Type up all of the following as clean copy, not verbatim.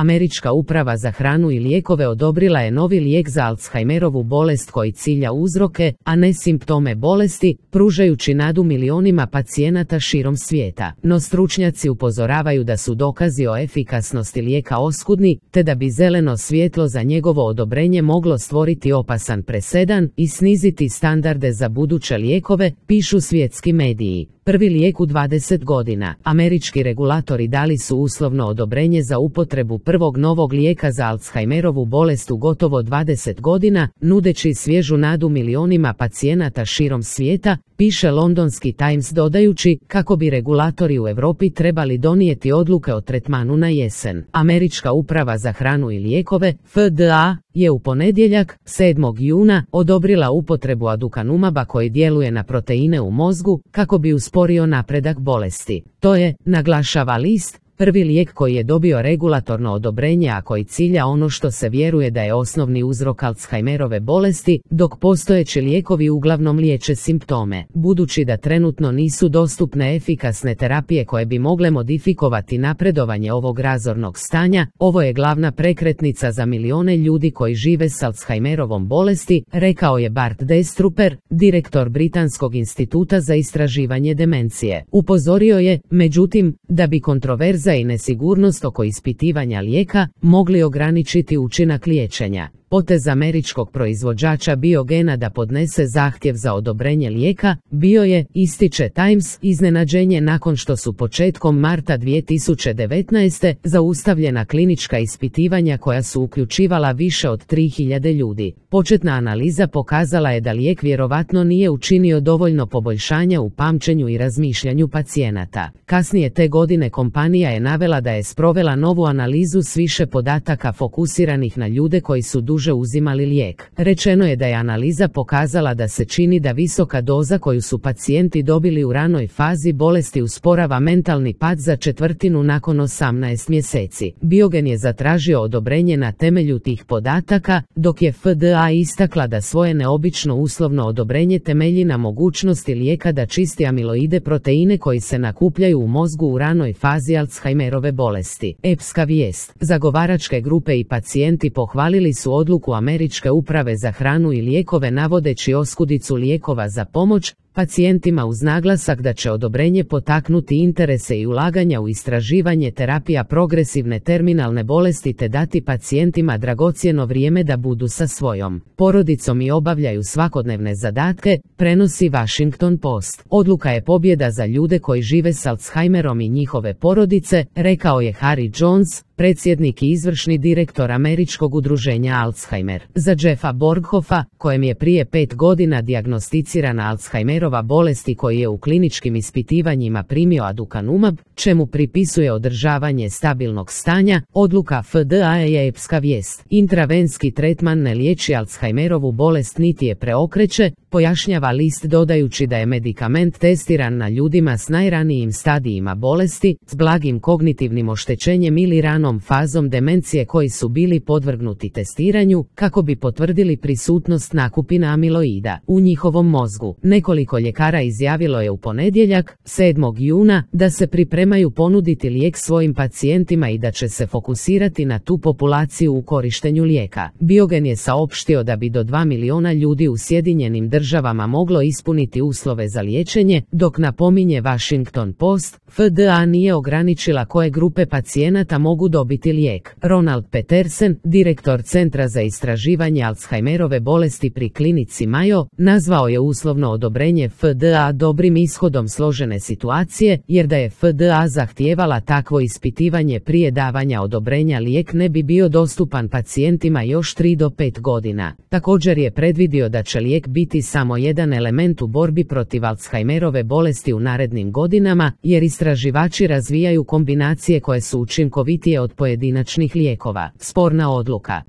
Američka uprava za hranu i lijekove odobrila je novi lijek za Alzheimerovu bolest koji cilja uzroke, a ne simptome bolesti, pružajući nadu milionima pacijenata širom svijeta. No stručnjaci upozoravaju da su dokazi o efikasnosti lijeka oskudni, te da bi zeleno svjetlo za njegovo odobrenje moglo stvoriti opasan presedan i sniziti standarde za buduće lijekove, pišu svjetski mediji. Prvi lijek u 20 godina. Američki regulatori dali su uslovno odobrenje za upotrebu prvog novog lijeka za Alzheimerovu bolest u gotovo 20 godina, nudeći svježu nadu milionima pacijenata širom svijeta, piše londonski Times dodajući kako bi regulatori u Europi trebali donijeti odluke o tretmanu na jesen. Američka uprava za hranu i lijekove, FDA, je u ponedjeljak, 7. juna, odobrila upotrebu aducanumaba koji djeluje na proteine u mozgu, kako bi usporio napredak bolesti. To je, naglašava list, prvi lijek koji je dobio regulatorno odobrenje, a koji cilja ono što se vjeruje da je osnovni uzrok Alzheimerove bolesti, dok postojeći lijekovi uglavnom liječe simptome. Budući da trenutno nisu dostupne efikasne terapije koje bi mogle modifikovati napredovanje ovog razornog stanja, ovo je glavna prekretnica za milijone ljudi koji žive s Alzheimerovom bolesti, rekao je Bart Destruper, direktor Britanskog instituta za istraživanje demencije. Upozorio je, međutim, da bi kontroverza i nesigurnost oko ispitivanja lijeka mogli ograničiti učinak liječenja. Potez američkog proizvođača biogena da podnese zahtjev za odobrenje lijeka bio je, ističe Times, iznenađenje nakon što su početkom marta 2019. zaustavljena klinička ispitivanja koja su uključivala više od 3000 ljudi. Početna analiza pokazala je da lijek vjerovatno nije učinio dovoljno poboljšanja u pamćenju i razmišljanju pacijenata. Kasnije te godine kompanija je navela da je sprovela novu analizu s više podataka fokusiranih na ljude koji su duže uzimali lijek. Rečeno je da je analiza pokazala da se čini da visoka doza koju su pacijenti dobili u ranoj fazi bolesti usporava mentalni pad za četvrtinu nakon 18 mjeseci. Biogen je zatražio odobrenje na temelju tih podataka, dok je FDA istakla da svoje neobično uslovno odobrenje temelji na mogućnosti lijeka da čisti amiloide proteine koji se nakupljaju u mozgu u ranoj fazi Alzheimerove bolesti. Epska vijest. Zagovaračke grupe i pacijenti pohvalili su odluku Američke uprave za hranu i lijekove navodeći oskudicu lijekova za pomoć pacijentima uz naglasak da će odobrenje potaknuti interese i ulaganja u istraživanje terapija progresivne terminalne bolesti te dati pacijentima dragocjeno vrijeme da budu sa svojom porodicom i obavljaju svakodnevne zadatke, prenosi Washington Post. Odluka je pobjeda za ljude koji žive s Alzheimerom i njihove porodice, rekao je Harry Jones, predsjednik i izvršni direktor Američkog udruženja Alzheimer. Za Jeffa Borghoffa, kojem je prije 5 godina dijagnosticirana Alzheimerova bolest i koji je u kliničkim ispitivanjima primio aducanumab, čemu pripisuje održavanje stabilnog stanja, odluka FDA je epska vijest. Intravenski tretman ne liječi Alzheimerovu bolest niti je preokreće, pojašnjava list dodajući da je medikament testiran na ljudima s najranijim stadijima bolesti, s blagim kognitivnim oštećenjem ili ranom fazom demencije koji su bili podvrgnuti testiranju, kako bi potvrdili prisutnost nakupina amiloida u njihovom mozgu. Nekoliko ljekara izjavilo je u ponedjeljak, 7. juna, da se pripremaju ponuditi lijek svojim pacijentima i da će se fokusirati na tu populaciju u korištenju lijeka. Biogen je saopštio da bi do 2 miliona ljudi u Sjedinjenim državama moglo ispuniti uslove za liječenje, dok napominje Washington Post, FDA nije ograničila koje grupe pacijenata mogu dobiti lijek. Ronald Petersen, direktor Centra za istraživanje Alzheimerove bolesti pri klinici Mayo, nazvao je uslovno odobrenje FDA dobrim ishodom složene situacije, jer da je FDA zahtijevala takvo ispitivanje prije davanja odobrenja lijek ne bi bio dostupan pacijentima još 3 do 5 godina. Također je predvidio da će lijek biti samo jedan element u borbi protiv Alzheimerove bolesti u narednim godinama, jer istraživači razvijaju kombinacije koje su učinkovitije od pojedinačnih lijekova.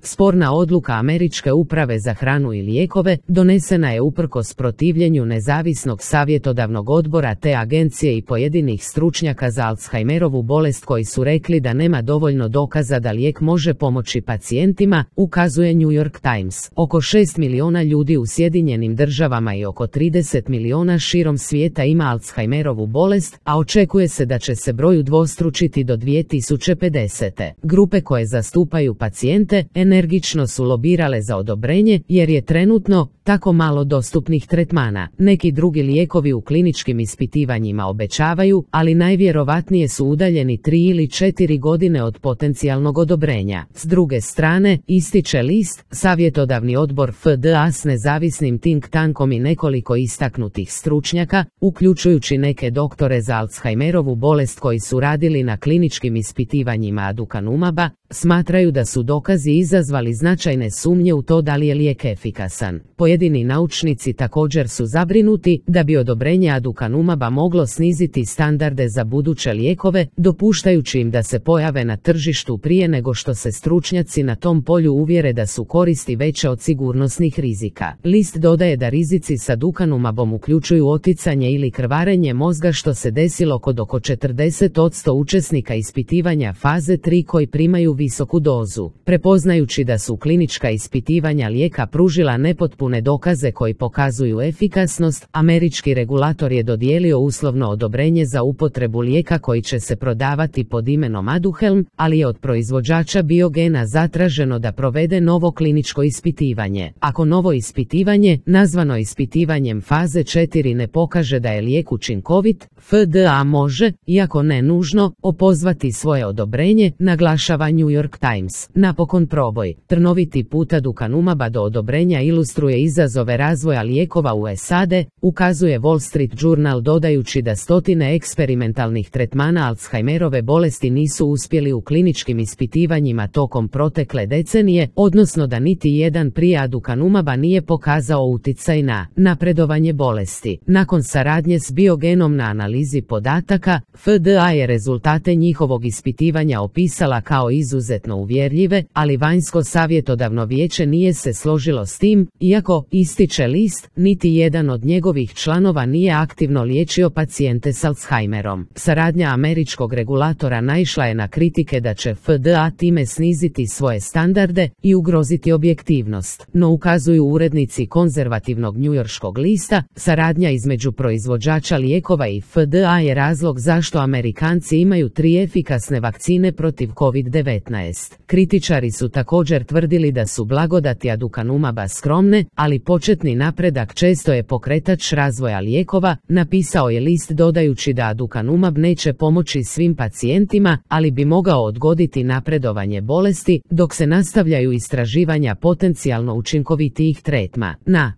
Sporna odluka Američke uprave za hranu i lijekove donesena je uprkos protivljenju nezavisnih nezavisnog savjetodavnog odbora te agencije i pojedinih stručnjaka za Alzheimerovu bolest koji su rekli da nema dovoljno dokaza da lijek može pomoći pacijentima, ukazuje New York Times. Oko 6 miliona ljudi u Sjedinjenim državama i oko 30 miliona širom svijeta ima Alzheimerovu bolest, a očekuje se da će se broj udvostručiti do 2050. Grupe koje zastupaju pacijente energično su lobirale za odobrenje jer je trenutno tako malo dostupnih tretmana. Neki drugi lijekovi u kliničkim ispitivanjima obećavaju, ali najvjerovatnije su udaljeni 3 ili 4 godine od potencijalnog odobrenja. S druge strane, ističe list, savjetodavni odbor FDA s nezavisnim think tankom i nekoliko istaknutih stručnjaka, uključujući neke doktore za Alzheimerovu bolest koji su radili na kliničkim ispitivanjima aducanumaba, smatraju da su dokazi izazvali značajne sumnje u to da li je lijek efikasan. Pojedini naučnici također su zabrinuti da bi odobrenje aducanumaba moglo sniziti standarde za buduće lijekove, dopuštajući im da se pojave na tržištu prije nego što se stručnjaci na tom polju uvjere da su koristi veće od sigurnosnih rizika. List dodaje da rizici s aducanumabom uključuju oticanje ili krvarenje mozga što se desilo kod oko 40% učesnika ispitivanja faze 3 koji primaju visoku dozu. Prepoznajući da su klinička ispitivanja lijeka pružila nepotpune dokaze koji pokazuju efikasnost, američki regulator je dodijelio uslovno odobrenje za upotrebu lijeka koji će se prodavati pod imenom Aduhelm, ali je od proizvođača Biogena zatraženo da provede novo kliničko ispitivanje. Ako novo ispitivanje, nazvano ispitivanjem faze 4, ne pokaže da je lijek učinkovit, FDA može, iako ne nužno, opozvati svoje odobrenje, naglašava New York Times. Napokon proboj. Trnoviti put aducanumaba do odobrenja ilustruje izazove razvoja lijekova u SAD, ukazuje Wall Street Journal dodajući da stotine eksperimentalnih tretmana Alzheimerove bolesti nisu uspjeli u kliničkim ispitivanjima tokom protekle decenije, odnosno da niti jedan prije aducanumaba nije pokazao utjecaj na napredovanje bolesti. Nakon saradnje s Biogenom na analizi podataka, FDA je rezultate njihovog ispitivanja opisala kao izuzetno uvjerljive, ali vanjsko savjetodavno vijeće nije se složilo s tim, iako, ističe list, niti jedan od njegovih članova nije aktivno liječio pacijente s Alzheimerom. Saradnja američkog regulatora naišla je na kritike da će FDA time sniziti svoje standarde i ugroziti objektivnost, no ukazuju urednici konzervativnog njujorškog lista, saradnja između proizvođača lijekova i FDA je razlog zašto Amerikanci imaju 3 efikasne vakcine protiv COVID-19. Kritičari su također tvrdili da su blagodati aducanumaba skromne, ali početni napredak često je pokretač razvoja lijekova, napisao je list dodajući da aducanumab neće pomoći svim pacijentima, ali bi mogao odgoditi napredovanje bolesti, dok se nastavljaju istraživanja potencijalno učinkovitijih tretma.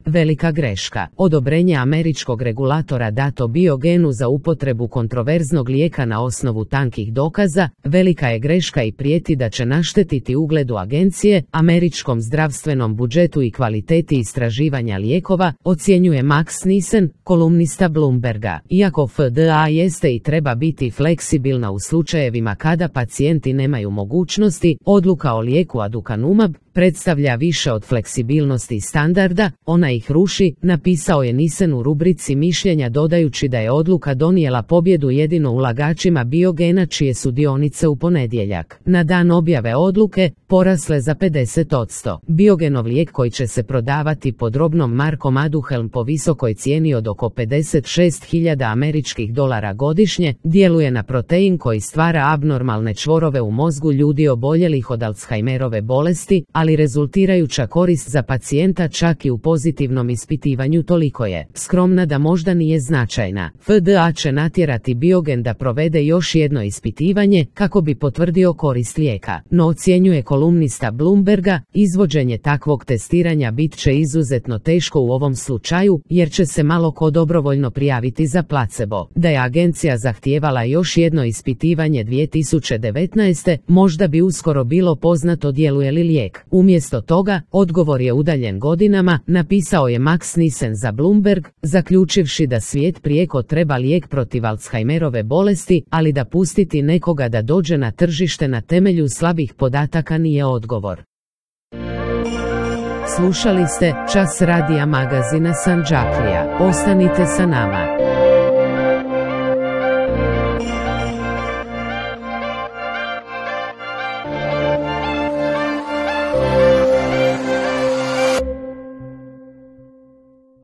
Velika greška. Odobrenje američkog regulatora dato Biogenu za upotrebu kontroverznog lijeka na osnovu tankih dokaza, velika je greška i prijeti da će naštetiti ugledu agencije, američkom zdravstvenom budžetu i kvaliteti istraživanja lijekova, ocjenjuje Max Nissen, kolumnista Bloomberga. Iako FDA jeste i treba biti fleksibilna u slučajevima kada pacijenti nemaju mogućnosti, odluka o lijeku aducanumab predstavlja više od fleksibilnosti i standarda, ona ih ruši, napisao je Nissen u rubrici mišljenja dodajući da je odluka donijela pobjedu jedino ulagačima Biogena čije su dionice u ponedjeljak, na dan objave odluke, porasle za 50%. Biogenov lijek koji će se prodavati pod robnom markom Aduhelm po visokoj cijeni od oko $56.000 američkih godišnje, djeluje na protein koji stvara abnormalne čvorove u mozgu ljudi oboljelih od Alzheimerove bolesti, ali rezultirajuća korist za pacijenta čak i u pozitivnom ispitivanju toliko je skromna da možda nije značajna. FDA će natjerati Biogen da provede još jedno ispitivanje kako bi potvrdio korist lijeka, no ocjenjuje kolumnista Bloomberga, izvođenje takvog testiranja bit će izuzetno teško u ovom slučaju jer će se malo ko dobrovoljno prijaviti za placebo. Da je agencija zahtijevala još jedno ispitivanje 2019. možda bi uskoro bilo poznato djeluje li lijek. Umjesto toga, odgovor je udaljen godinama, napisao je Max Nissen za Bloomberg, zaključivši da svijet prijeko treba lijek protiv Alzheimerove bolesti, ali da pustiti nekoga da dođe na tržište na temelju slabih podataka nije odgovor. Slušali ste Čas radija magazina Sanđaklija. Ostanite sa nama.